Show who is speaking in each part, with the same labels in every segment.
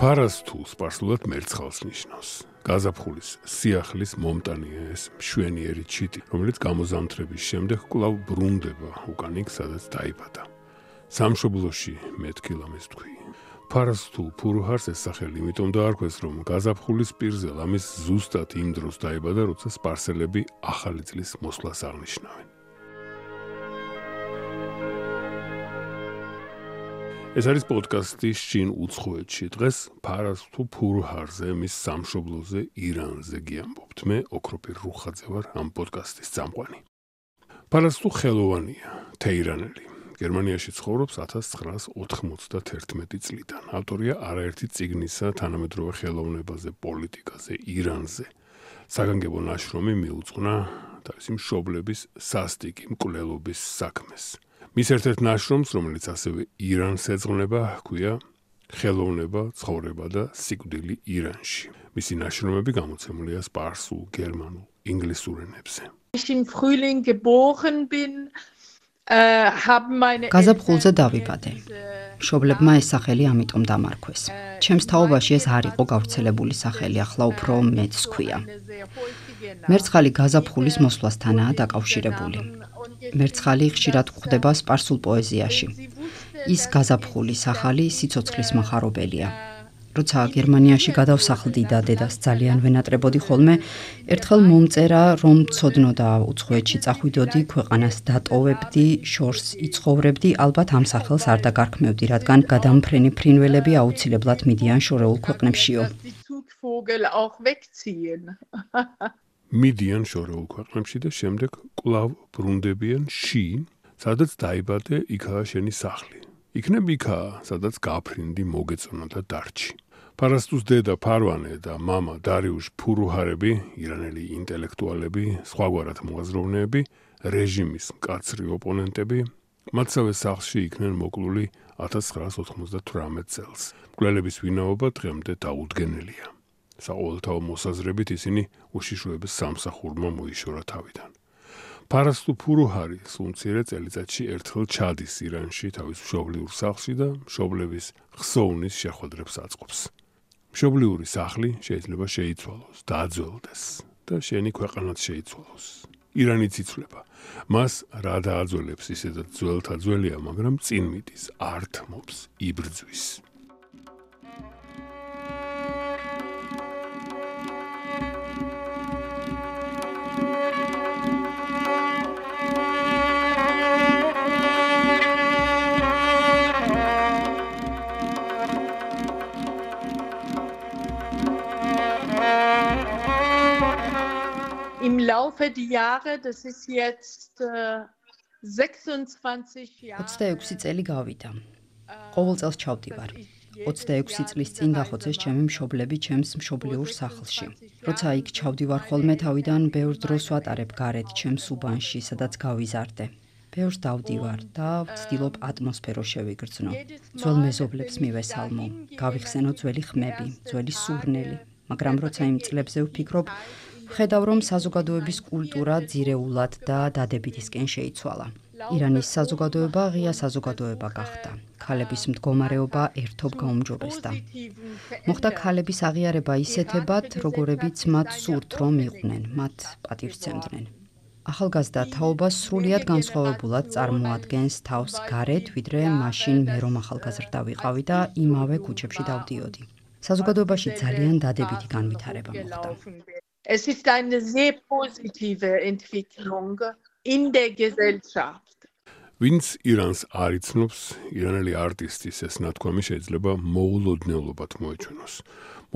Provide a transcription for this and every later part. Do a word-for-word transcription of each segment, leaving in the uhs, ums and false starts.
Speaker 1: ფარასთუ სპარსულად მერცხალს ნიშნავს. გაზაფხულის სიახლის მომტანია ეს მშვენიერი ჩიტი, რომელიც გამოზამთრების შემდეგ კვლავ ბრუნდება უკან იქ, სადაც დაიბადა. სამშობლოში მეთქი ლამის თქვი. ფარასთუ ფურუჰარს ეს სახელი იმიტომ დაარქვეს, რომ გაზაფხულის პირზე ლამის ზუსტად იმ დროს დაიბადა, როცა სპარსელები ახალი წლის მოსვლას აღნიშნავენ. ეს არის პოდკასტი შინ უცხოეთში. დღეს ფარასთუ ფურუჰარზე, მის სამშობლოზე, ირანზე გიამბობთ. მე ოქროპირ რუხაძე ვარ, ამ პოდკასტის წამყვანი. ფარასთუ ხელოვანია, თეირანელი. გერმანიაში ცხოვრობს ათას ცხრაას ოთხმოცდათერთმეტი წლიდან. ავტორია არაერთი წიგნისა თანამედროვე ხელოვნებაზე, პოლიტიკაზე, ირანზე. საგანგებო ნაშრომი მიუძღვნა თავისი მშობლების სასტიკი მკვლელობის საქმეს. მის ერთ-ერთ ნაშრომს, რომელიც ასევე ირანს ეძღვნება, ჰქვია ხელოვნება, ცხოვრება და სიკვდილი ირანში. მისი ნაშრომები გამოცემულია სპარსულ, გერმანულ, ინგლისურ ენებზე.
Speaker 2: გაზაფხულზე დავიბადე. მშობლებმა ეს სახელი ამიტომ დამარქვეს. ჩემს თაობაში ეს არ იყო გავრცელებული სახელი, ახლა უფრო მეც ჰქვია. მერცხალი გაზაფხულის მოსვლასთანაა დაკავშირებული. მერცხალი ხშირად გვხვდება სპარსულ პოეზიაში. ის გაზაფხულის ახალი სიცოცხლის מחარობელია. როცა გერმანიაში გადავსახლდი და დედას ძალიან ვენატრებოდი ხოლმე, ერთხელ მომწერა, რომ ცოდნო და უცხოეთში წახვიდოდი, ქვეყანას დატოვებდი, შორს იცხოვრებდი, ალბათ ამ სახელს არ დაგარქმევდი, რადგან გადამფრენი ფრინველები აუცილებლად მიდიან შორეულ ქვეყნებშიო.
Speaker 1: მიდიან შორეულ ქვეყნებში და შემდეგ კვლავ ბრუნდებიან ში, სადაც დაიბადე, იქაა შენი სახლი. იქნებ იქაა, სადაც გაფრინდი, მოგეწონა და დარჩი. ფარასთუს დედა ფარვანე და მამა დარიუშ ფურუჰარები, ირანელი ინტელექტუალები, სხვაგვარად მოაზროვნეები, რეჟიმის მკაცრი ოპონენტები, მათსავე სახლში იქნენ მოკლული ათას ცხრაას ოთხმოცდათვრამეტ წელს. მკვლელების ვინაობა დღემდე დაუდგენელია. საყოველთაო მოსაზრებით ისინი უშიშროების სამსახურმა მოიშორა თავიდან. ფარასთუ ფურუჰარი სულ-მცირე წელიწადში ერთხელ ჩადის ირანში თავის მშობლიურ სახლში და მშობლების ხსოვნის შეხვედრებს აწყობს. მშობლიური სახლი შეიძლება შეიცვალოს, დაძველდეს და შენი ქვეყანაც შეიცვალოს. ირანიც იცვლება. მას რა დააძველებს, ისედაც ძველთა ძველია, მაგრამ წინ მიდის, ართმობს, იბრძვის.
Speaker 3: Im Laufe der Jahre, das ist jetzt sechsundzwanzig Jahre.
Speaker 2: ოცდაექვსი წელი გავიდა. ყოველ წელს ჩავდივარ. ოცდაექვსი წლის წინ დახოცეს ჩემი მშობლები ჩემს მშობლიურ სახლში. როცა იქ ჩავდივარ ხოლმე, თავიდან ბევრ დროს ვატარებ გარეთ ჩემს უბანში, სადაც გავიზარდე. ბევრს დავდივარ და ვცდილობ ატმოსფერო შევიგრძნო. ძველ მეზობლებს მივესალმო, გავიხსენო ძველი ხმები, ძველი სურნელი, მაგრამ როცა იმ წლებზე ვფიქრობ, ხედავ, რომ საზოგადოების კულტურა ძირეულად და დადებითისკენ შეიცვალა. ირანის საზოგადოება ღია საზოგადოება გახდა. ქალების მდგომარეობა ერთობ გაუმჯობესდა. მოხდა ქალების აღიარება ისეთებად, როგორებიც მათ სურთ, რომ იყვნენ, მათ პატივს სცემდნენ. ახალგაზრდა თაობა სრულიად განსხვავებულად წარმოადგენს თავს გარეთ, ვიდრე მაშინ მე რომ ახალგაზრდა ვიყავი და იმავე ქუჩებში დავდიოდი. საზოგადოებაში ძალიან დადებითი განვითარება მოხდა.
Speaker 3: Es ist eine sehr positive Entwicklung in der Gesellschaft.
Speaker 1: ვინც ირანს არ იცნობს, ირანელი არტისტის ეს ნათქვამი შეიძლება მოულოდნელობად მოეჩვენოს.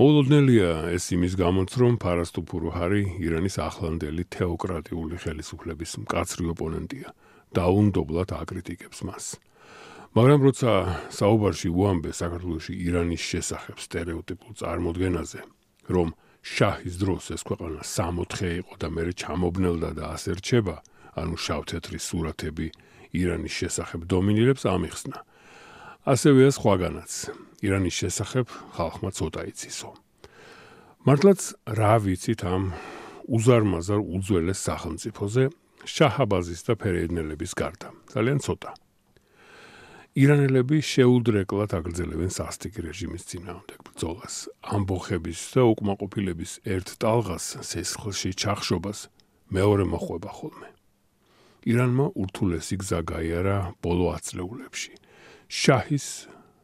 Speaker 1: მოულოდნელია ეს იმის გამოც, რომ ფარასთუ ფურუჰარი ირანის ახლანდელი თეოკრატიული ხელისუფლების მკაცრი ოპონენტია. დაუნდობლად აკრიტიკებს მას. მაგრამ როცა საუბარში უამბე საქართველოში ირანის შესახებ სტერეოტიპულ წარმოდგენაზე, რომ შაჰის დროს ეს ქვეყანა სამოთხე იყო და მერე ჩამობნელდა და ასე რჩება, ანუ შავთეთრი სურათები ირანის შესახებ დომინირებს, ამიხსნა. ასევეა სხვაგანაც. ირანის შესახებ ხალხმა ცოტა იცისო. მართლაც რა ვიცით ამ უზარმაზარ უძველეს სახელმწიფოზე, შაჰაბაზის და ფერეიდნელების გარდა. ძალიან ცოტა. ირანელები შეუდრეკლად აგრძელებენ სასტიკ რეჟიმის წინააღმდეგ ბრძოლას, ამბოხების და უკმაყოფილების ერთ ტალღას, სისხლში ჩახშობას მეორე მოხვება ხოლმე. ირანმა ურთულესი გზა გაიარა ბოლო ათწლეულებში. შაჰის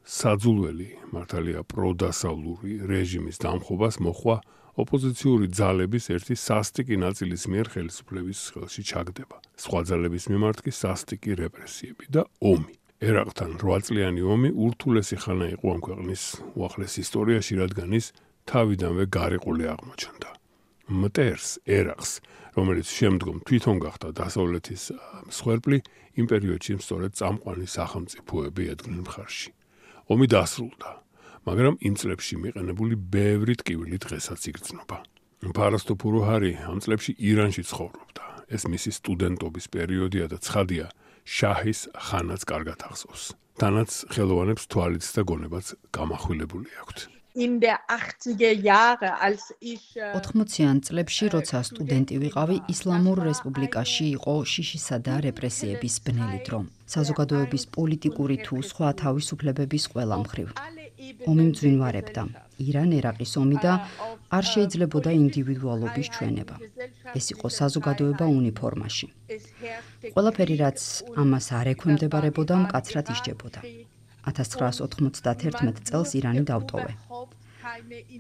Speaker 1: საძულველი მართალია პროდასავლური რეჟიმის დამხობას მოხვა ოპოზიციური ძალების ერთი სასტიკი ნაწილის მიერ ხელისუფლების ხელში ჩაგდება. სხვა ძალების მიმართ კი სასტიკი რეპრესიები და ომი. ერაყთან რვაწლიანი ომი ურთულესი ხანა იყო ამ ქვეყნის უახლეს ისტორიაში, რადგან ის თავიდანვე გარიყული აღმოჩნდა. მტერს, ერაყს, რომელიც შემდგომ თვითონ გახდა დასავლეთის მსხვერპლი, იმ პერიოდში სწორედ წამყვანი სახელმწიფოები ედგნენ მხარში. ომი დასრულდა, მაგრამ იმ წლებში მიყენებული ბევრი ტკივილი დღესაც იგრძნობა. ფარასტუ ფურუჰარი ამ წლებში ირანში ცხოვრობდა. ეს მისი სტუდენტობის პერიოდია და ცხადია, შაჰის ხანაც კარგად ახსოვს. თანაც ხელოვანებს თვალიც და გონებაც გამახვილებული აქვთ.
Speaker 3: In der achtziger Jahre, als ich
Speaker 2: ოთხმოციან წლებში, როცა სტუდენტი ვიყავი, ისლამურ რესპუბლიკაში იყო შიშისა და რეპრესიების ბნელი დრო. საზოგადოების პოლიტიკური თუ სხვა თავისუფლებების ყველა მხრივ. ომი მძვინვარებდა. ირან-ერაყის ომი და არ შეიძლებოდა ინდივიდუალობის ჩვენება. ეს იყო საზოგადოება უნიფორმაში. ყველაფერი, რაც ამას არ ექვემდებარებოდა, მკაცრად ისჯებოდა. ათას ცხრაას ოთხმოცდაათერთმეტ წელს ირანი დავტოვე.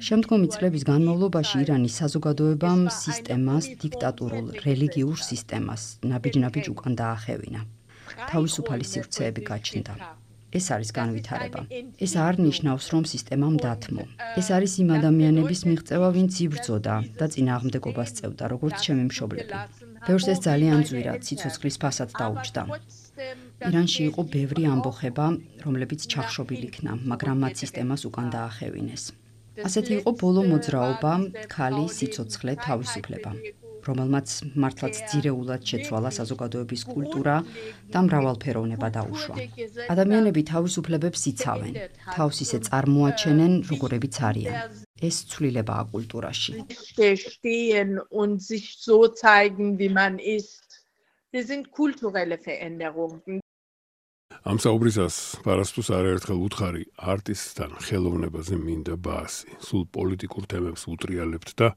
Speaker 2: შემდგომი წლების განმავლობაში ირანის საზოგადოებამ სისტემას, დიქტატურულ რელიგიურ სისტემას ნაბიჯ-ნაბიჯ უკან დაახევინა. თავისუფალი სივრცეები გაჩნდა. ეს არის განვითარება. ეს არ ნიშნავს, რომ სისტემამ დათმო. ეს არის იმ ადამიანების მიღწევა, ვინც იბრძოდა და წინააღმდეგობას წევდა, როგორც ჩემი მშობლები. ბევრს ეს ძალიან ძვირა, ციცოცხლის ფასად დაუჯდა. ირანში იყო ბევრი ამბოხება, რომლებიც ჩახშობილი იქნა, მაგრამ მათ სისტემას უკან დაახევინეს. ასეთი იყო ბოლო მოძრაობა, ქალი, სიცოცხლე, თავისუფლება, რომელმაც მართლაც ძირეულად შეცვალა საზოგადოების კულტურა და მრავალფეროვნება დაუშვა. ადამიანები თავისუფლებებს იცავენ, თავს ისე წარმოაჩენენ, როგორებიც არიან. ეს ცვლილებაა კულტურაში.
Speaker 3: stehen und sich so zeigen, wie man ist. Das sind kulturelle Veränderungen.
Speaker 1: ამ საუბრისას პარასტუს არაერთხელ უთხარი არტისტთან ხელოვნებაზე მინდა ბაასი. სულ პოლიტიკურ თემებს უტრიალებთ და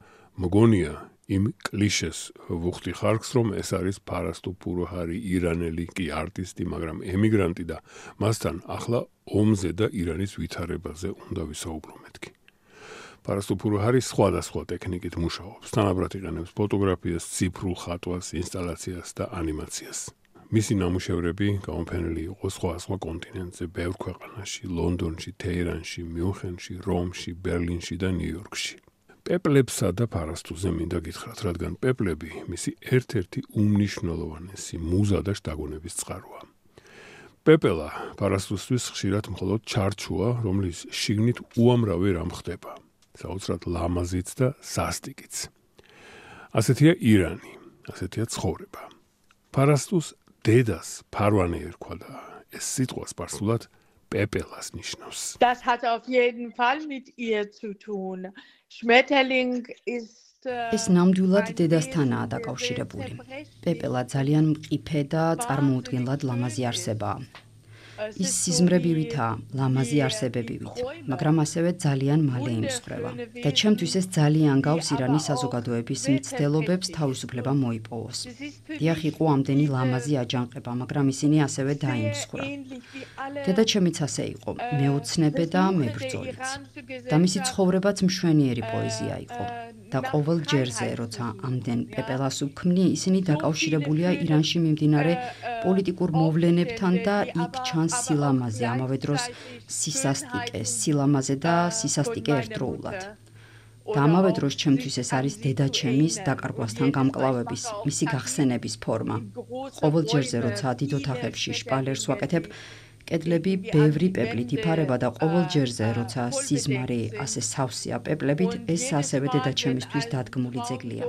Speaker 1: მგონია იმ კლიშეს ვუხდი ხარკს, რომ ეს არის ფარასტუ ფურუჰარი ირანელი კი არტისტი, მაგრამ ემიგრანტი და მასთან ახლა ომზე და ირანის ვითარებაზე უნდა ვისაუბრო მეთქი. ფარასტუ ფურუჰარი სხვადასხვა ტექნიკით მუშაობს. თანაბრად იყენებს ფოტოგრაფიას, ციფრულ ხატვას, ინსტალაციას და ანიმაციას. მისი ნამუშევრები გამოფენილი იყო სხვა-სხვა კონტინენტზე, ბევრ ქვეყანაში, ლონდონში, თეირანში, მიუნხენში, რომში, ბერლინში და ნიუ-იორკში. პეპლებსა და ფარასტუზე მინდა გითხრათ, რადგან პეპლები მისი ერთ-ერთი უმნიშვნელოვანესი მუზა და შთაგონების წყაროა. პეპელა ფარასტუსთვის ხშირად მხოლოდ ჩარჩოა, რომლის შიგნით უამრავი რამ ხდება, საოცრად ლამაზიც და სასტიკიც. ასეთია ირანი, ასეთია ცხოვრება. ფარასტუს დედას ფარვანი ერქვა და ეს სიტყვა სპარსულად პეპელას ნიშნავს.
Speaker 3: Das hat auf jeden Fall mit ihr zu tun. Schmetterling ist
Speaker 2: ეს ნამდვილად დედასთანაა დაკავშირებული. პეპელა ძალიან მყიფე და წარმოუდგენლად ლამაზი არსებაა. ის სიზმრებივითაა, ლამაზი არსებებივით, მაგრამ ასევე ძალიან მალე იმსხვრევა. და ჩემთვის ეს ძალიან გავს ირანის საზოგადოების მცდელობებს თავისუფლება მოიპოვოს. დიახ, იყო ამდენი ლამაზი აჯანყება, მაგრამ ისინი ასევე დაიმსხვრა. დედაჩემიც ასე იყო, მეოცნებე და მებრძოლიც. და მისი ცხოვრებაც მშვენიერი პოეზია იყო. და ყოველ ჯერზე, როცა ამდენ პეპელას უქმნი, ისინი დაკავშირებულია ირანში მიმდინარე პოლიტიკურ მოვლენებთან და იქ ჩანს სილამაზე, ამავე დროს სისასტიკე, სილამაზე და სისასტიკე ერთდროულად. და ამავე დროს ჩემთვის ეს არის დედაჩემის დაკარგვასთან გამკლავების, მისი გახსენების ფორმა. ყოველ ჯერზე, როცა დიდ ოთახებში შპალერს ვაკეთებ, კედლები ბევრი პეპლით იფარება და ყოველ ჯერზე, როცა სიზმარი ასე სავსეა პეპლებით, ეს ასევე დედაჩემისთვის დადგმული ძეგლია.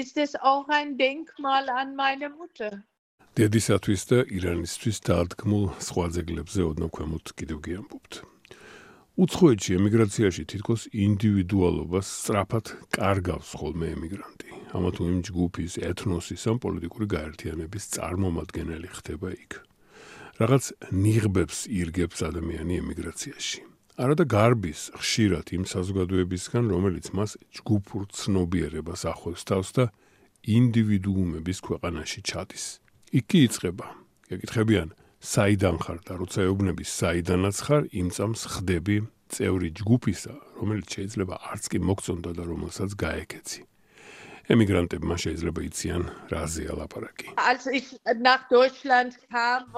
Speaker 3: Ist es auch ein Denkmal an meine Mutter.
Speaker 1: დედისათვის და ირანისთვის დადგმულ სხვა ძეგლებზე ოდნავ ქვემოთ კიდევ გიამბობთ. უცხოეთში ემიგრაციაში თითქოს ინდივიდუალობას სწრაფად კარგავს ხოლმე ემიგრანტი. ამა თუ იმ ჯგუფის, ეთნოსის ან პოლიტიკური გაერთიანების წარმომადგენელი ხდება იქ. რაღაც ნიღბებს ირგებს ადამიანი ემიგრაციაში. არადა გარბის ხშირად იმ საზოგადოებისგან, რომელიც მას ჯგუფურ ცნობიერებას ახვევს თავს და ინდივიდუუმების ქვეყანაში ჩადის. იქ კი იწყება. გეკითხებიან, საიდან ხარ და როცა ეუბნები საიდანაც ხარ, იმ წამს ხდები წევრი ჯგუფისა, რომელიც შეიძლება არც კი მოგწონდა და რომელსაც გაეკეცი. ემიგრანტებმა შეიძლება იციან რაზეა ლაპარაკი.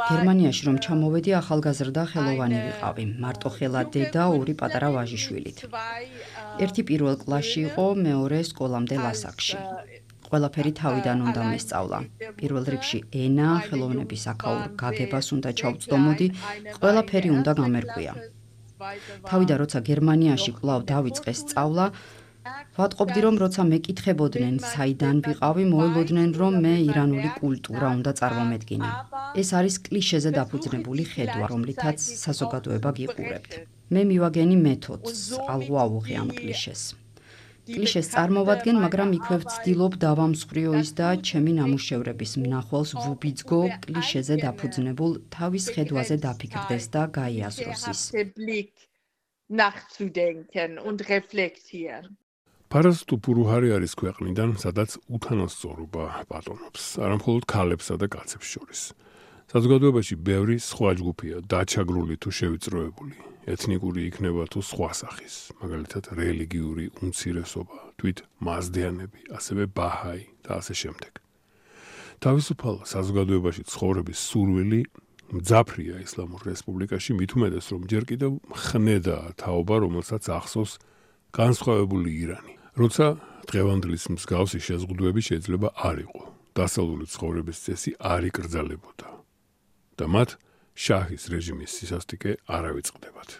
Speaker 2: გერმანიაში რომ ჩამოვედი, ახალგაზრდა ხელოვანი ვიყავი, მარტოხელა დედა, ორი პატარა ვაჟიშვილით. ერთი პირველ კლასში იყო, მეორე სკოლამდე ლასაკში. ყველაფერი თავიდან უნდა მესწავლა. პირველ რიგში ენა, ხელოვნების აქაურ გაგებას უნდა ჩავწდომოდი, ყველაფერი უნდა გამერკვია. თავიდან როცა გერმანიაში კვლავ დავიწყე სწავლა, ვატყობდი რომ როცა მეკითხებოდნენ საიდან ვიყავი, მოელოდნენ რომ მე ირანული კულტურა უნდა წარმომედგინე. ეს არის კლიშეზე დაფუძნებული ხედვა, რომლითაც საზოგადოება გიყურებთ. მე მივაგენი მეთოდს, ალღუ ავუღე ამ კლიშეს. კლიშეს წარმოვადგენ, მაგრამ იქვე ვცდილობ დავამსხვრიო ის და ჩემი ნამუშევრების მნახველს ვუბიძგო კლიშეზე დაფუძნებულ თავის ხედვაზე დაფიქრდეს და გაიაზროს ის.
Speaker 1: პარასტუ პურუჰარი არის ქვეყნიდან, სადაც უთანასწორობა პატონობს, არა მხოლოდ ქალებსა და კაცებს შორის. საზოგადოებაში ბევრი სხვა ჯგუფია, დაჩაგრული თუ შევიწროებული. ეთნიკური იქნება თუ სხვა სახის, მაგალითად რელიგიური უმცირესობა, თვით მაზდეანები, ასევე ბაჰაი და ასე შემდეგ. თავისუფალ საზოგადოებაში ცხოვრების სურვილი მძაფრია ისლამურ რესპუბლიკაში, მით უმეტეს რომ ჯერ კიდევ ხნედაა თაობა, რომელსაც ახსოვს განსხვავებული ირანი. როცა დღევანდლის მსგავსი შეზღუდვები შეიძლება არ იყო, დასავლური ცხოვრების წესი არ იკრძალებოდა და მათ შაჰის რეჟიმის სისასტიკე არ ავიწყდებათ.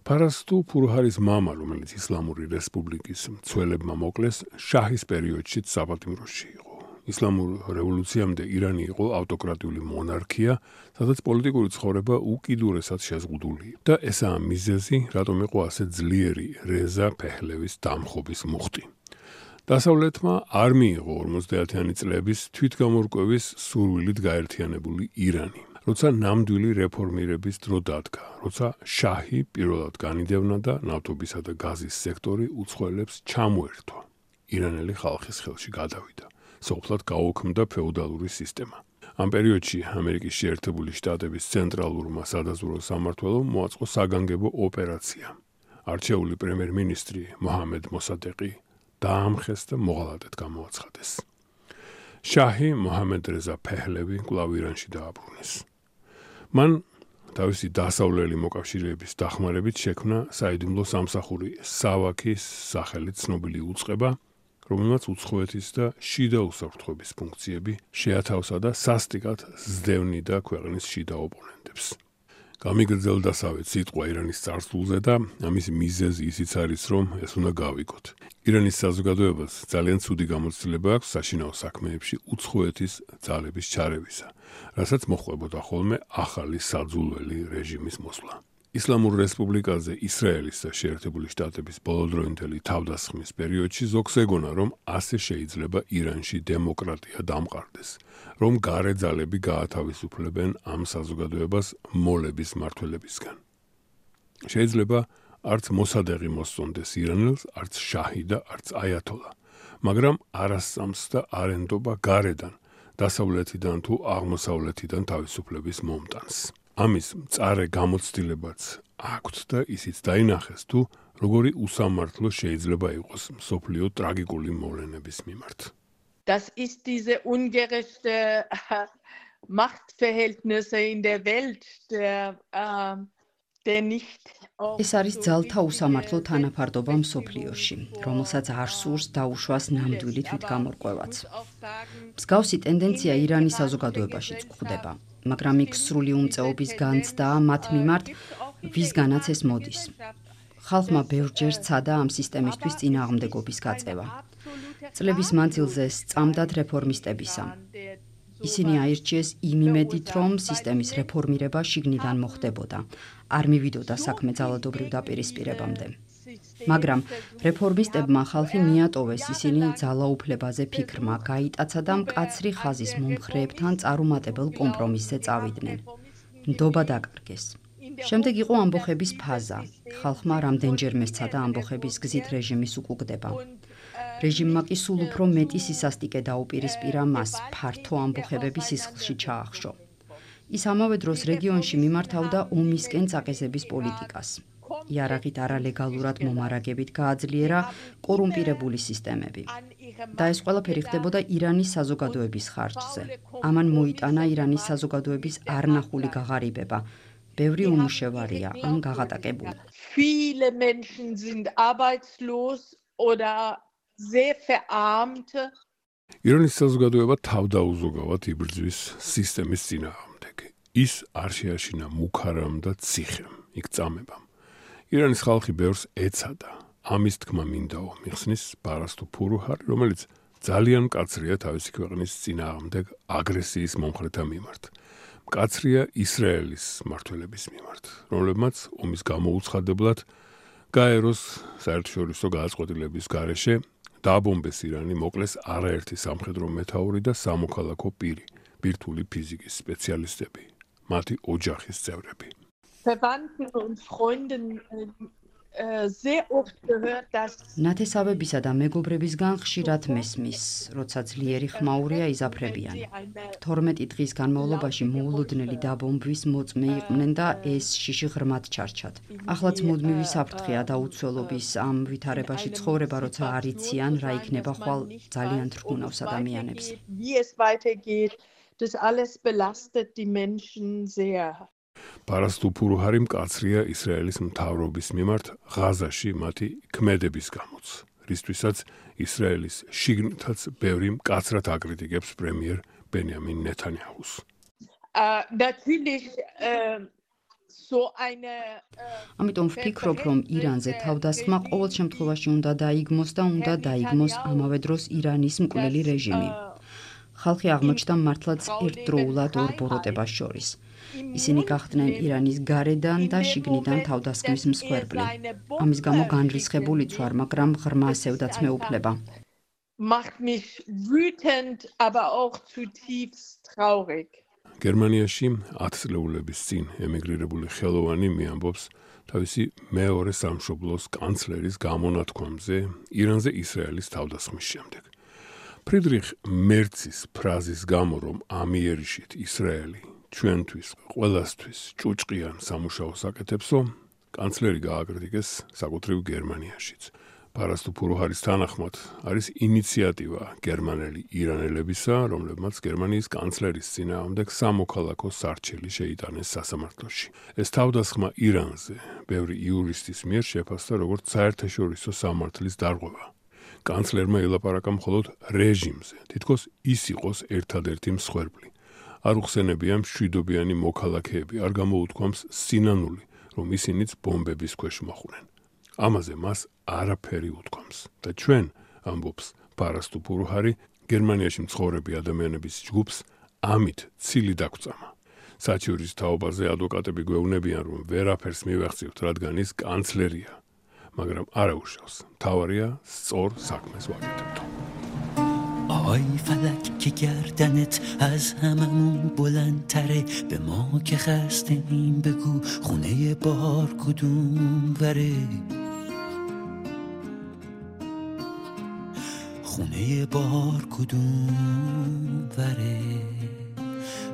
Speaker 1: პარასტუ პურუჰარის მამა, რომელიც ისლამური რესპუბლიკის მცველებმა მოკლეს, შაჰის პერიოდშიც საპატიმროში იყო. ისლამურ რევოლუციამდე ირანი იყო ავტოკრატიული მონარქია, სადაც პოლიტიკური ცხოვრება უკიდურესად შეზღუდული და ესაა მიზეზი, რატომ იყო ასე ძლიერი რეზა ფეჰლევის დამხობის მუხტი. დასავლეთმა არ მიიღო ორმოცდაათიანი წლების თვითგამორკვევის სურვილით გაერთიანებული ირანი. როცა ნამდვილი რეფორმირების დრო დადგა, როცა შაჰი პირველად განიდევნა და ნავთობისა და გაზის სექტორი უცხოელებს ჩამოერთვა, ირანელი ხალხის ხელში გადავიდა. სოფლად გაუქმდა ფეოდალური სისტემა. ამ პერიოდში ამერიკის შეერთებული შტატების ცენტრალურმა სადაზვერვო სამმართველომ მოაწყო საგანგებო ოპერაცია. არჩეული პრემიერ-მინისტრი მოჰამედ მოსადეყი დაამხეს და მოღალატედ გამოაცხადეს. შაჰი მოჰამედ რეზა ფეჰლევი კვლავ ირანში დააბრუნეს. მან თავისი დასავლელი მოკავშირეების დახმარებით შექმნა საიდუმლო სამსახური სავაქის სახელით ცნობილი უწყება, რომელმაც უცხოეთის და შიდა უსაფრთხოების ფუნქციები შეათავსა და სასტიკად ზდევნიდა ქვეყნის შიდა ოპონენტებს. გამიგრძელდასავით სიტყვა ირანის წარსულზე და ამის მიზეზი ისიც არის, რომ ეს უნდა გავიგოთ. ირანის საზოგადოებას ძალიან ცუდი გამოცდილება აქვს საშინაო საქმეებში უცხოეთის ძალების ჩარევისა, რასაც მოჰყვებოდა ხოლმე ახალი საძულველი რეჟიმის მოსვლა. ისლამურ რესპუბლიკაზე ისრაელის და შეერთებული შტატების ბოლოდროინდელი თავდასხმის პერიოდში ზოგს ეგონა, რომ ასე შეიძლება ირანში დემოკრატია დამყარდეს, რომ გარე ძალები გაათავისუფლებენ ამ საზოგადოებას მოლების მმართველებისგან. შეიძლება არც მოსადეღი მოსწონდეს ირანელს, არც შაჰი და არც აიათოლა, მაგრამ არასწამს და არენდობა გარედან, დასავლეთიდან თუ აღმოსავლეთიდან თავისუფლების მომტანს. ამის მწარე გამოცდილებაც აქვთ და ისიც დაინახეს თუ როგორი უსამართლო შეიძლება იყოს მსოფლიო ტრაგიკული მოვლენების მიმართ.
Speaker 3: Das ist diese ungerechte Machtverhältnisse in der Welt, der, äh, der nicht
Speaker 2: ეს არის ძალთა უსამართლო თანაფარდობა მსოფლიოში, რომელსაც არ სურს დაუშვას ნამდვილი თვითგამორკვევაც. მსგავსი ტენდენცია ირანის საზოგადოებაშიც გვხვდება, მაგრამ იქ სრული უმწეობის განცდა მათ მიმართ, ვისგანაც ეს მოდის. ხალხმა ბევრჯერ სცადა ამ სისტემისთვის წინააღმდეგობის გაწევა. წლების მანძილზე სწამდათ რეფორმისტებისა. ისინი აირჩიეს იმ იმედით, რომ სისტემის რეფორმირება შიგნიდან მოხდებოდა. არ მივიდოდა საქმე ძალადობრივ დაპირისპირებამდე. მაგრამ რეფორმისტებმა ხალხი მიატოვეს, ისინი ძალაუფლებაზე ფიქრმა გაიტაცა და მკაცრი ხაზის მომხრეებთან წარუმატებელ კომპრომისზე წავიდნენ. ნდობა დაკარგეს. შემდეგ იყო ამბოხების ფაზა. ხალხმა რამდენჯერმე სცადა ამბოხების გზით რეჟიმის უკუგდება. რეჟიმმა კი სულ უფრო მეტი სისასტიკე დაუპირისპირა მას, ფართო ამბოხებები სისხლში ჩაახშო. ის ამავე დროს რეგიონში მიმართავდა ომისკენ წაყეზების პოლიტიკას. იარაღით არალეგალურად მომარაგებით გააძლიერა კორუმპირებული სისტემები. და ეს ყველაფერი ხდებოდა ირანის საზოგადოების ხარჯზე. ამან მოიტანა ირანის საზოგადოების არნახული გაღარიბება. ბევრი უმუშევარია ან გაღატაკებული.
Speaker 3: Viele Menschen sind arbeitslos oder sehr verarmt.
Speaker 1: ირანის საზოგადოება თავდაუზოგავად იბრძვის სისტემის წინააღმდეგ. ის არ შეაშინა მუქარამ და ციხემ, იქ წამებამ. ირანის ხალხი ბევრს ეცადა. ამის თქმა მინდაო, მიხსნის პარასტუ ფურუჰარი, რომელიც ძალიან მკაცრია თავისი ქვეყნის წინააღმდეგ აგრესიის მომხრეთა მიმართ. მკაცრია ისრაელის მმართველების მიმართ, რომლებმაც ომის გამოუცხადებლად გაეროს საერთაშორისო გადაწყვეტილების გარეშე დააბომბეს ირანი, მოკლეს არაერთი სამხედრო მეთაური და სამოქალაქო პირი, ბირთვული ფიზიკის სპეციალისტები, მათი ოჯახის წევრები.
Speaker 3: Verwandten und Freunden äh, sehr oft gehört, dass
Speaker 2: ნათესავებისა და მეგობრებისგან ხშირად მესმის, როცა ძლიერი ხმაურია იზაფრებიან. თორმეტი დღის განმავლობაში მოულოდნელი დაბომბვის მოწმე იყვნენ და ეს შიში ღრმად ჩარჩათ. ახლაც მუდმივი საფრთხეა და უცველობის ამ ვითარებაში ცხოვრება, როცა არ იციან, რა იქნება ხვალ, ძალიან თრგუნავს ადამიანებს.
Speaker 3: Wie es weitergeht, das alles belastet die Menschen sehr.
Speaker 1: პარასტუ ფურუჰარი მკაცრია ისრაელის მთავრობის მიმართ ღაზაში მათი ქმედების გამოც, რისთვისაც ისრაელის შიგნითაც ბევრი მკაცრად აკრიტიკებს პრემიერ ბენიამინ ნეთანიაჰუს.
Speaker 3: Äh, natürlich äh, so eine äh,
Speaker 2: ამიტომ ვფიქრობ, რომ ირანზე თავდასხმა ყოველ შემთხვევაში უნდა დაიგმოს და უნდა დაიგმოს ამავე დროს ირანის მკვლელი რეჟიმი. ხალხი აღმოჩნდა მართლაც ერთდროულად ორ ბოროტებას შორის. ისინი გახდნენ ირანის გარედან და შიგნიდან თავდასხმის მსხვერპლი. ამის გამო განრისხებულიც ვარ, მაგრამ ღრმა ასევდაც მეუფლება.
Speaker 3: macht mich wütend, aber auch zutiefst traurig.
Speaker 1: გერმანიაში ათწლეულების წინ ემიგრირებული ხელოვანი მიამბობს თავისი მეორე სამშობლოს კანცლერის გამონათქვამზე ირანზე ისრაელის თავდასხმის შემდეგ. ფრიდრიხ მერცის ფრაზის გამო, რომ ამიერიშით ისრაელი ჩვენთვის, ყველასთვის ჭუჭყიან სამუშაოს აკეთებსო, კანცლერი გააკრიტიკეს საკუთრივ გერმანიაშიც. პარასტუ ფურუჰარის თანახმად არის ინიციატივა გერმანელი ირანელებისა, რომლებმაც გერმანიის კანცლერის წინააღმდეგ სამოქალაქო სარჩელი შეიტანეს სასამართლოში. ეს თავდასხმა ირანზე ბევრი იურისტის მიერ შეფასდა როგორც საერთაშორისო სამართლის დარღვევა. კანცლერმა ელაპარაკა მხოლოდ რეჟიმზე, თითქოს ის იყოს ერთადერთი მსხვერპლი. არ უხსენებია მშვიდობიანი მოქალაქეები, არ გამოუთქვამს სინანული, რომ ისინიც ბომბების ქვეშ მოხვდნენ. ამაზე მას არაფერი უთქვამს და ჩვენ, ამბობს პარასტუ ფურუჰარი, გერმანიაში მცხოვრები ადამიანების ჯგუფს ამით ცილი დაგვწამა. საჩივრის თაობაზე ადვოკატები გვეუბნებიან, რომ ვერაფერს მივახციოთ, რადგან ის კანცლერია, მაგრამ არა უშავს. მთავარია სწორ საქმეს ვაკეთებთ.
Speaker 4: آی فلک که گردنت از هممون بلندتره به ما که خسته‌ایم بگو خونه بار کدوم وره خونه بار کدوم وره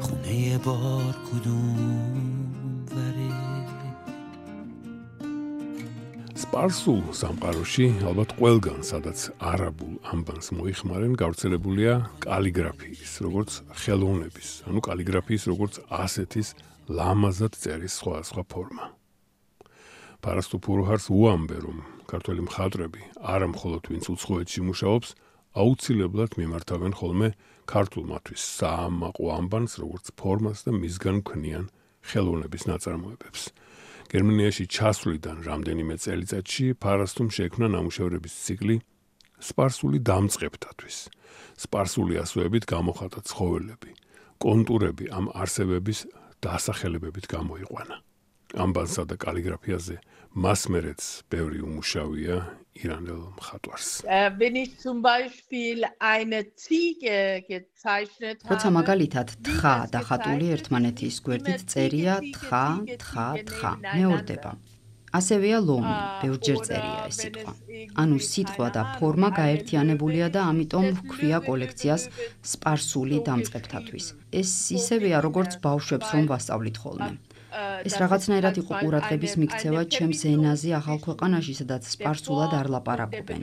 Speaker 4: خونه بار کدوم وره
Speaker 1: სპარსულ სამყაროში, ალბათ ყველგან, სადაც არაბულ ამბანს მოიხმარენ, გავრცელებულია კალიგრაფიის, როგორც ხელოვნების, ანუ კალიგრაფიის, როგორც ასეთის ლამაზად წერის სხვადასხვა ფორმა. პარასტუ ფურუჰარს უამბე, რომ ქართველი მხატვრები, არა მხოლოდ ვინც უცხოეთში მუშაობს, აუცილებლად მიმართავენ ხოლმე ქართულმათვის საამაყო ამბანს, როგორც ფორმას და მისგან ქმნიან ხელოვნების ნაწარმოებებს. გერმანიაში ჩასვლიდან რამდენიმე წელიწადში პარასტუმ შექმნა ნამუშევრების ციკლი სპარსული დამწყებთათვის. სპარსული ასოებით გამოხატა ცხოველები, კონტურები ამ არსებების დასახელებებით გამოიყვანა. ამბანსა და კალიგრაფიაზე მას მერეც ბევრი უმუშავია ირანელ მხატვარს.
Speaker 3: Wenn ich zum Beispiel eine Ziege gezeichnet habe,
Speaker 2: როცა მაგალითად თხა და ხატული ერთმანეთის გვერდით წერია თხა, თხა, თხა, მეორდება. ასევეა ლომი, ბევრჯერ წერია ეს სიტყვა. ანუ სიტყვა და ფორმა გაერთიანებულია და ამიტომ ჰქვია კოლექციას სპარსული დამწყებთათვის. ეს ისევეა, როგორც ბავშვებს რომ ვასწავლით ხოლმე. ეს რაღაცნაირად იყო ყურადღების მიქცევა ჩემს ენაზე ახალ ქვეყანაში, სადაც სპარსულად არ ლაპარაკობენ.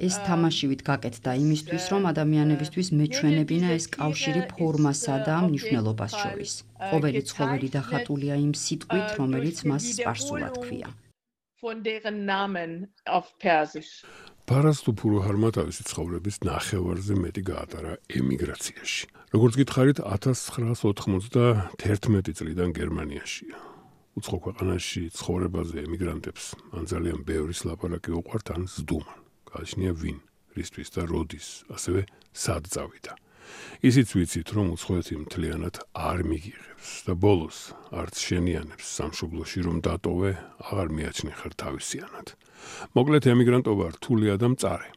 Speaker 2: ეს თამაშივით გაკეთდა იმისთვის, რომ ადამიანებისთვის მეჩვენებინა ეს კავშირი ფორმასა და მნიშვნელობას შორის. ყოველი ცხოველი დახატულია იმ სიტყვით, რომელიც მას სპარსულად ქვია.
Speaker 3: von deren Namen auf Persisch.
Speaker 1: Parastu Puruharma თავისი ცხოვრების ნახევარზე მეტი გაატარა ემიგრაციაში. როგორც გითხარით, ათას ცხრაას ოთხმოცდაერთმეტი წლიდან გერმანიაშია. უცხო ქვეყანაში ცხოვრებაზე ემიგრანტებს ან ძალიან ბევრის ლაპარაკი უყვართ, ან ზდუმან. გააჩნია ვინ, რისთვის და როდის, ასევე სად წავიდა. ისიც ვიცით, რომ უცხოეთი მთლიანად არ მიგიღებს და ბოლოს არც შენიანებს სამშობლოში რომ დატოვე, აღარ მიაჩნი ხარ თავისიანად. მოკლედ ემიგრანტობა რთულია და მწარე.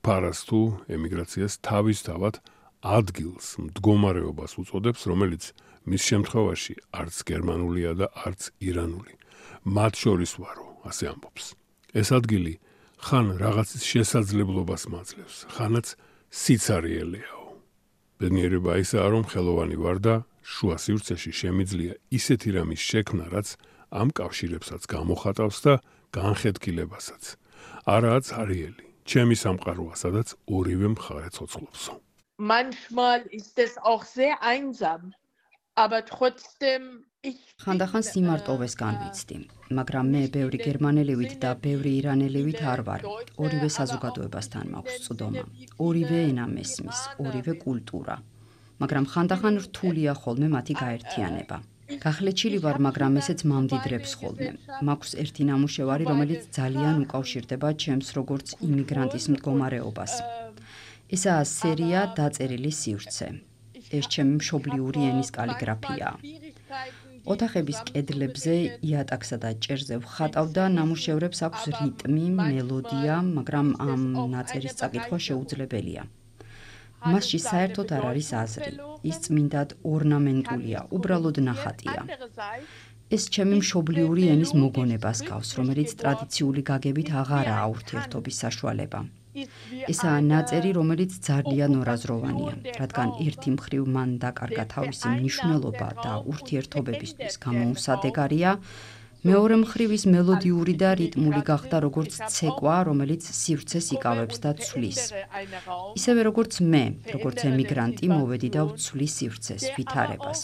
Speaker 1: Parastu ემიგრაციას თავისთავად ადგილს, მდგომარეობას უწოდებს, რომელიც მის შემთხვევაში არც გერმანულია და არც ირანული. მათ შორის ვარო, ასე ამბობს. ეს ადგილი ხან რაღაცის შესაძლებლობას მაძლევს, ხანაც სიცარიელეაო. ბედნიერება ისაა, რომ ხელოვანი ვარ და შუა სივრცეში შემიძლია ისეთი რამის შექმნა, რაც ამ კავშირებსაც გამოხატავს და განხეთქილებასაც. არაა ცარიელი, ჩემი სამყაროა, სადაც ორივე მხარე ცოცხლობსო.
Speaker 3: Manchmal ist es auch sehr einsam, aber trotzdem ich
Speaker 2: ხანდახან სიმარტოვეს განვიცდი, მაგრამ მე ბევრი გერმანელივით და ბევრი ირანელივით არ ვარ. ორივე საზოგადოებასთან მაქვს წვდომა, ორივე ენა მესმის, ორივე კულტურა. მაგრამ ხანდახან რთულია ხოლმე მათი გაერთიანება. გახლეჩილი ვარ, მაგრამ ესეც მამდიდრებს ხოლმე. მაქვს ერთი ნამუშევარი, რომელიც ძალიან უკავშირდება ჩემს როგორც იმიგრანტის მდგომარეობას. ესაა სერია დაწერილი სივრცე. ეს ჩემი მშობლიური ენის კალიგრაფია. ოთახების კედლებზე იატაკსა და ჭერზე ვხატავ და ნამუშევრებს აქვს რიტმი, მელოდია, მაგრამ ამ ნაწერის წაკითხვა შეუძლებელია. მასში საერთოდ არ არის აზრი. ის წმინდად ორნამენტულია, უბრალოდ ნახატია. ეს ჩემი მშობლიური ენის მოგონებას გავს, რომელიც ტრადიციული გაგებით აღარაა ურთიერთობის საშუალება. ესაა ნაწერი, რომელიც ძალიან ორაზროვანია, რადგან ერთი მხრივ მან დაკარგა თავისი მნიშვნელობა და ურთიერთობებისთვის გამოუსადეგარია, მეორე მხრივ ის მელოდიური და რიტმული გახდა როგორც ცეკვა, რომელიც სივრცეს იკავებს და ცვლის. ისევე როგორც მე, როგორც ემიგრანტი, მოვედი და ვცვლი სივრცეს, ვითარებას,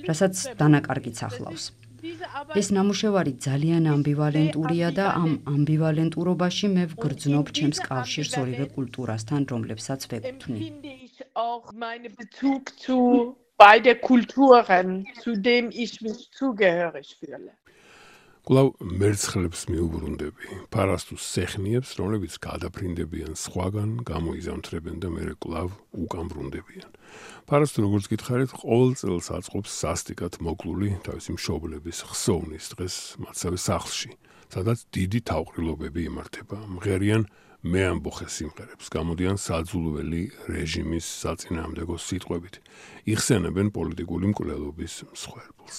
Speaker 2: რასაც დანაკარგიც ახლავს. ეს ნამუშევარი ძალიან ამბივალენტურია და ამ ამბივალენტურობაში მე ვგრძნობ ჩემს კავშირს ორივე კულტურასთან, რომლებსაც ვეკუთვნი.
Speaker 3: auch meine Bezug zu beide Kulturen, zu dem ich mich zugehörig fühle.
Speaker 1: კვლავ მერცხლებს მიუბრუნდები, Parastus სეხნიებს, რომლებიც გადაფრინდებიან სხვაგან, გამოიზამთრებენ და მერე კვლავ უკან ბრუნდებიან. Parastus, როგორც გითხარით, ყოველ წელს აწყობს სასტიკად მოკლული თავისი მშობლების ხსოვნის დღეს მათსავე სახლში, სადაც დიდი თავყრილობები იმართება. მღერიან მეამბოხე სიმღერებს, გამოდიან საძულველი რეჟიმის საწინააღმდეგო სიტყვებით, იხსენებენ პოლიტიკური მკვლელობის მსხვერპლს.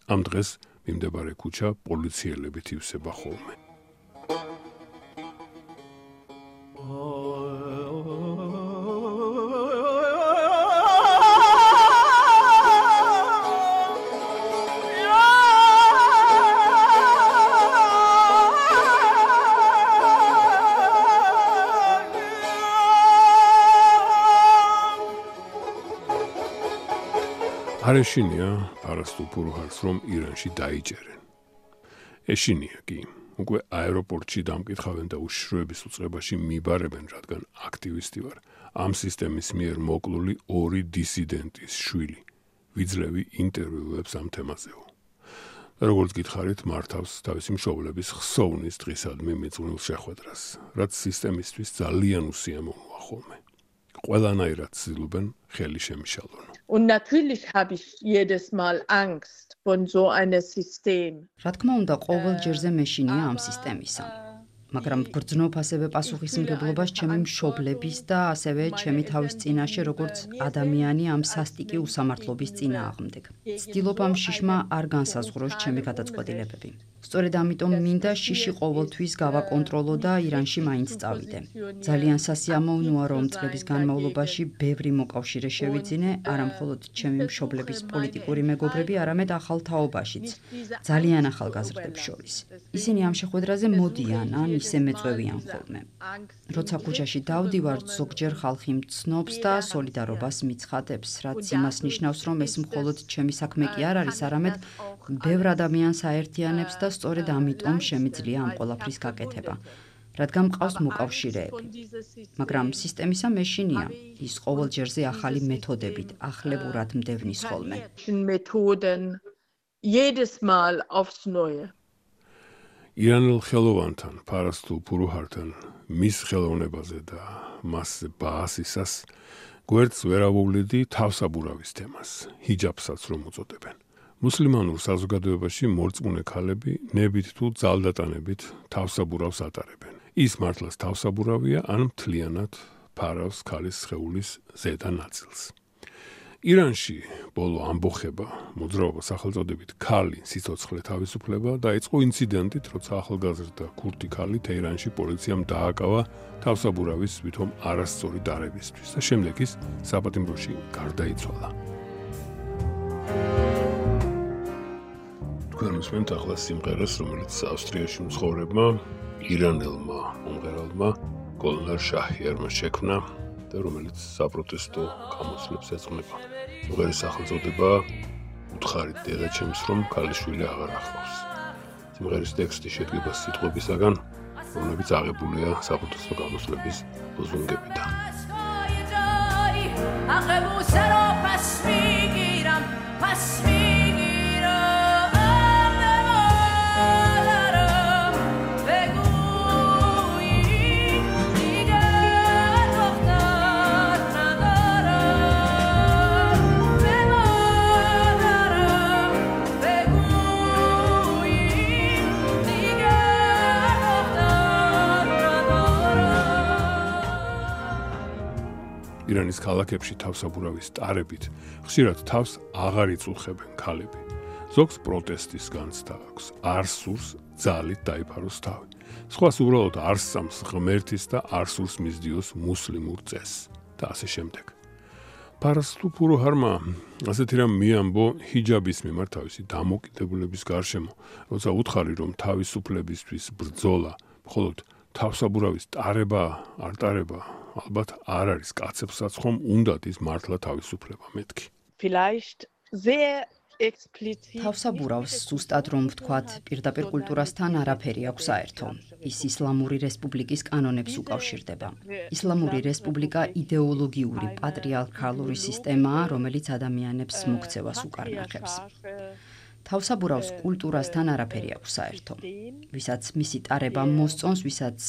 Speaker 1: ამ დღეს მიმდებარე ქუჩა პოლიციელებით ივსება ხოლმე. არ ეშინია Parastu Puruhars, რომ ირანში დაიჭერენ. ეშინია კი, უკვე აეროპორტში დამკითხავენ და უშიშროების უწყებაში მიბარებენ, რადგან აქტივისტი ვარ. ამ სისტემის მიერ მოკლული ორი დისიდენტის შვილი. ვიძლევი ინტერვიუებს ამ თემაზეო. როგორც გითხარით, მართავს თავისი მშობლების ხსოვნის დღისადმი მიწვნილ შეხვედრას, რაც სისტემისთვის ძალიან უსიამოვნოა ხოლმე. ყველანაირად ცდილობენ ხელი შემიშალონ.
Speaker 3: Und natürlich habe ich jedes Mal Angst von so einem System.
Speaker 2: რა თქმა უნდა, ყოველ ჯერზე მეშინია ამ სისტემისა. მაგრამ გრძნობ ასევე პასუხისმგებლობას ჩემი მშობლების და ასევე ჩემი თავის წინაშე როგორც ადამიანი ამ სასტიკი უსამართლობის წინააღმდეგ. ვცდილობ ამ შიშმა არ განსაზღვროს ჩემი გადაწყვეტილებები. სწორედ ამიტომ მინდა შიში ყოველთვის გავაკონტროლო და ირანში მაინც წავიდე. ძალიან სასიამოვნოა, რომ წლების განმავლობაში ბევრი მოკავშირე შევიძინე, არა მხოლოდ ჩემი მშობლების პოლიტიკური მეგობრები, არამედ ახალ თაობაშიც, ძალიან ახალგაზრდებს შორის. ისინი ამ შეხვედრაზე მოდიან, ან ისე მეწვევიან ხოლმე. როცა ქუჩაში დავდივარ, ზოგჯერ ხალხი მცნობს და სოლიდარობას მიცხადებს, რაც იმას ნიშნავს, რომ ეს მხოლოდ ჩემი საქმე კი არ არის, არამედ ბევრ ადამიანს აერთიანებს და სწორედ ამიტომ შემიძლია ამ ყველაფრის გაკეთება, რადგან მყავს მოკავშირეები. მაგრამ სისტემისა მეშინია, ის ყოველ ჯერზე ახალი მეთოდებით, ახლებურად მდევნის ხოლმე.
Speaker 3: Methoden jedes Mal aufs Neue.
Speaker 1: ირანელ ხელოვანთან, ფარასტუ ფურუჰართან, მის ხელოვნებაზე და მასზე ბაასისას გვერდს ვერ ავუვლედი თავსაბურავის თემას, ჰიჯაბსაც რომ უწოდებენ. მუსლიმანურ საზოგადოებაში მორწმუნე ქალები ნებით თუ ძალდატანებით თავსაბურავს ატარებენ. ის მართლაც თავსაბურავია, ან მთლიანად ფარავს ქალის სხეულის ზედა ნაწილს. ირანში ბოლო ამბოხება, მოძრაობა სახელწოდებით ქალი სიცოცხლე თავისუფლება დაიწყო ინციდენტით, როცა ახალგაზრდა ქურთი ქალი თეირანში პოლიციამ დააკავა თავსაბურავის ვითომ არასწორი დარებისთვის და შემდეგ ის საპატიმროში გარდაიცვალა. თქვენ უსმენთ ახლა სიმღერას, რომელიც ავსტრიაში მცხოვრებმა ირანელმა მომღერალმა გოლნარ შაჰიარმა შექმნა და რომელიც საპროტესტო გამოსვლებს ეძღვნება. სიმღერის სახელწოდება უთხარით დედაჩემს, რომ ქალიშვილი აღარ ახლავს. სიმღერის ტექსტი შედგება სიტყვებისაგან, რომლებიც აღებულია საპროტესტო გამოსვლების ლოზუნგებიდან. ირანის ქალაქებში თავსაბურავის ტარებით ხშირად თავს აღარ იწუხებენ ქალები. ზოგს პროტესტის განცდა აქვს, არ სურს ძალით დაიფაროს თავი. სხვას უბრალოდ არ სწამს ღმერთის და არ სურს მისდიოს მუსლიმურ წესს და ასე შემდეგ. ფარასტუ ფურუჰარმა ასეთი რამ მიამბო ჰიჯაბის მიმართ თავისი დამოკიდებულების გარშემო, როცა უთხარი, რომ თავისუფლებისთვის ბრძოლა მხოლოდ თავსაბურავის ტარება არ ტარება, ალბათ არ არის კაცებსაც ხომ უნდათ ის მართლა თავისუფლება მეთქი.
Speaker 3: Vielleicht sehr explizit.
Speaker 2: თავსაბურავს ზუსტად რომ ვთქვათ, პირდაპირ კულტურასთან არაფერი აქვს საერთო. ის ისლამური რესპუბლიკის კანონებს უკავშირდება. ისლამური რესპუბლიკა იდეოლოგიური პატრიარქალური სისტემაა, რომელიც ადამიანებს მოქცევას უკარნახებს. თავსაბურავს კულტურასთან არაფერი აქვს საერთო. ვისაც მისი ტარება მოსწონს, ვისაც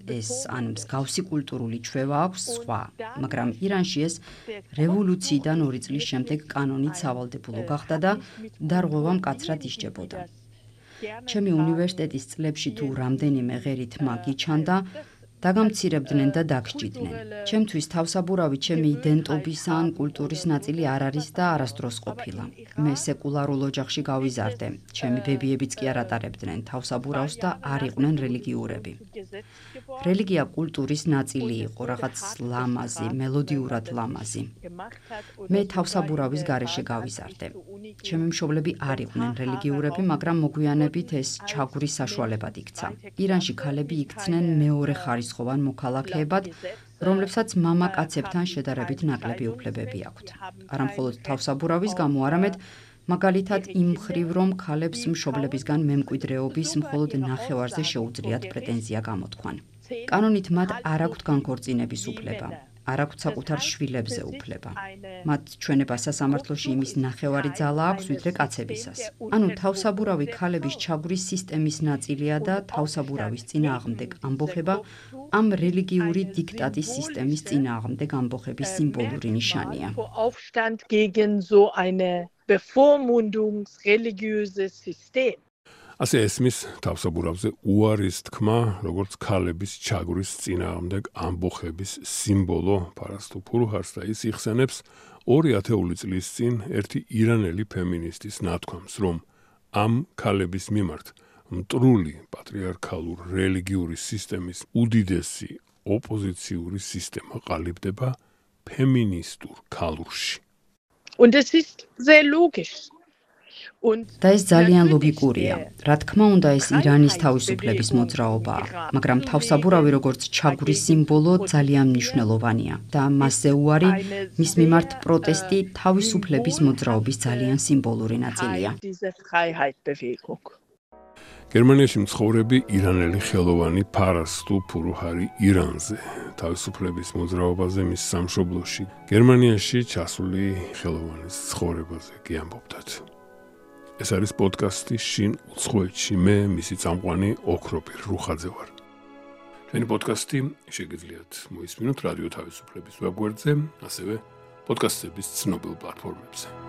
Speaker 2: ეს ან მსგავსი კულტურული ჩვევა აქვს, სხვა. მაგრამ ირანში ეს რევოლუციიდან ორი წლის შემდეგ კანონით სავალდებულო გახდა და დარღვევა მკაცრად ისჯებოდა. ჩემი უნივერსიტეტის წლებში თუ რამდენიმე ღერი თმა გიჩანდა, დაგამცირებდნენ და დაგსჯიდნენ. ჩემთვის თავსაბურავი ჩემი იდენტობის ან კულტურის ნაწილი არ არის და არასდროს ყოფილა. მე სეკულარულ ოჯახში გავიზარდე. ჩემი ბებიებიც კი არ ატარებდნენ თავსაბურავს და არ იყვნენ რელიგიურები. რელიგია კულტურის ნაწილი იყო, რაღაც ლამაზი, მელოდიურად ლამაზი. მე თავსაბურავის გარეშე გავიზარდე. ჩემი მშობლები არ იყვნენ რელიგიურები, მაგრამ მოგვიანებით ეს ჩაგვრის საშუალებად იქცა. ირანში ქალები იქცნენ მეორე ხარისხოვან მოქალაქეებად, რომლებსაც მამაკაცებთან შედარებით ნაკლები უფლებები აქვთ. არა მხოლოდ თავსაბურავის გამო, არამედ მაგალითად იმ მხრივ, რომ ქალებს მშობლებისგან მემკვიდრეობის მხოლოდ ნახევარზე შეუძლიათ პრეტენზია გამოთქვან. კანონით მათ არ აქვთ განქორწინების უფლება. არ აქვთ საკუთარ შვილებზე უფლება. მათ ჩვენება სასამართლოში იმის ნახევარი ძალა აქვს, ვიდრე კაცებისას. ანუ თავსაბურავი ქალების ჩაგვრის სისტემის ნაწილია და თავსაბურავის წინააღმდეგ ამბოხება ამ რელიგიური დიქტატის სისტემის წინააღმდეგ ამბოხების სიმბოლური ნიშანია.
Speaker 3: Aufstand gegen so eine bevormundungsreligiöses System.
Speaker 1: ასე ესმის თავსაბურავზე უარის თქმა, როგორც ქალების ჩაგვრის წინააღმდეგ ამბოხების სიმბოლო ფარასტუ ფურუჰარს და ის იხსენებს ორი ათეული წლის წინ ერთი ირანელი ფემინისტის ნათქვამს, რომ ამ ქალების მიმართ მტრული პატრიარქალურ რელიგიური სისტემის უდიდესი ოპოზიციური სისტემა ყალიბდება ფემინისტურ ქალურში.
Speaker 3: Und es ist sehr logisch.
Speaker 2: და ეს ძალიან ლოგიკურია. რა თქმა უნდა, ეს ირანის თავისუფლების მოძრაობაა, მაგრამ თავსაბურავი როგორც ჩაგვრის სიმბოლო ძალიან მნიშვნელოვანია და მასზე უარი მის მიმართ პროტესტი თავისუფლების მოძრაობის ძალიან სიმბოლური ნაწილია.
Speaker 1: გერმანიაში მცხოვრები ირანელი ხელოვანი ფარასტუ ფურუჰარი ირანზე, თავისუფლების მოძრაობაზე მის სამშობლოში, გერმანიაში ჩასული ხელოვანის ცხოვრებაზე კი ამბობდათ. ეს არის პოდკასტი შინ უცხოეთში, მე მისი წამყვანი ოქროპირ რუხაძე ვარ. ჩვენი პოდკასტი შეგიძლიათ მოისმინოთ რადიო თავისუფლების ვებგვერდზე, ასევე პოდკასტების ცნობილ პლატფორმებზე.